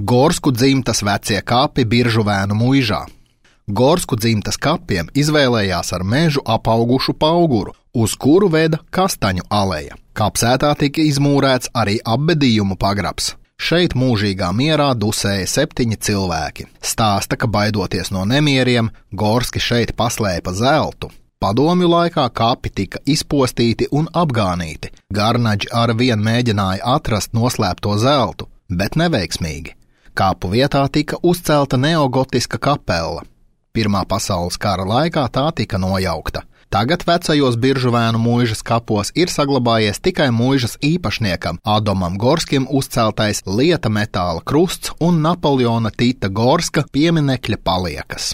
Gorsku dzimtas vecie kapi Biržuvēnu muižā. Gorsku dzimtas kapiem izvēlējās ar mežu apaugušu pauguru, uz kuru veda Kastaņu aleja. Kapsētā tika izmūrēts arī apbedījumu pagrabs. Šeit mūžīgā mierā dusēja 7 cilvēki. Stāsta, ka baidoties no nemieriem, Gorski šeit paslēpa zeltu. Padomju laikā kapi tika izpostīti un apgānīti. Garnaģi arvien mēģināja atrast noslēpto zeltu, bet neveiksmīgi. Kapu vietā tika uzcelta neogotiska kapela. Pirmā pasaules kara laikā tā tika nojaukta. Tagad vecajos Biržuvēnu muižas kapos ir saglabājies tikai muižas īpašniekam Adomam Gorskim uzceltais lieta metāla krusts un Napoleona Tita Gorska pieminekļa paliekas.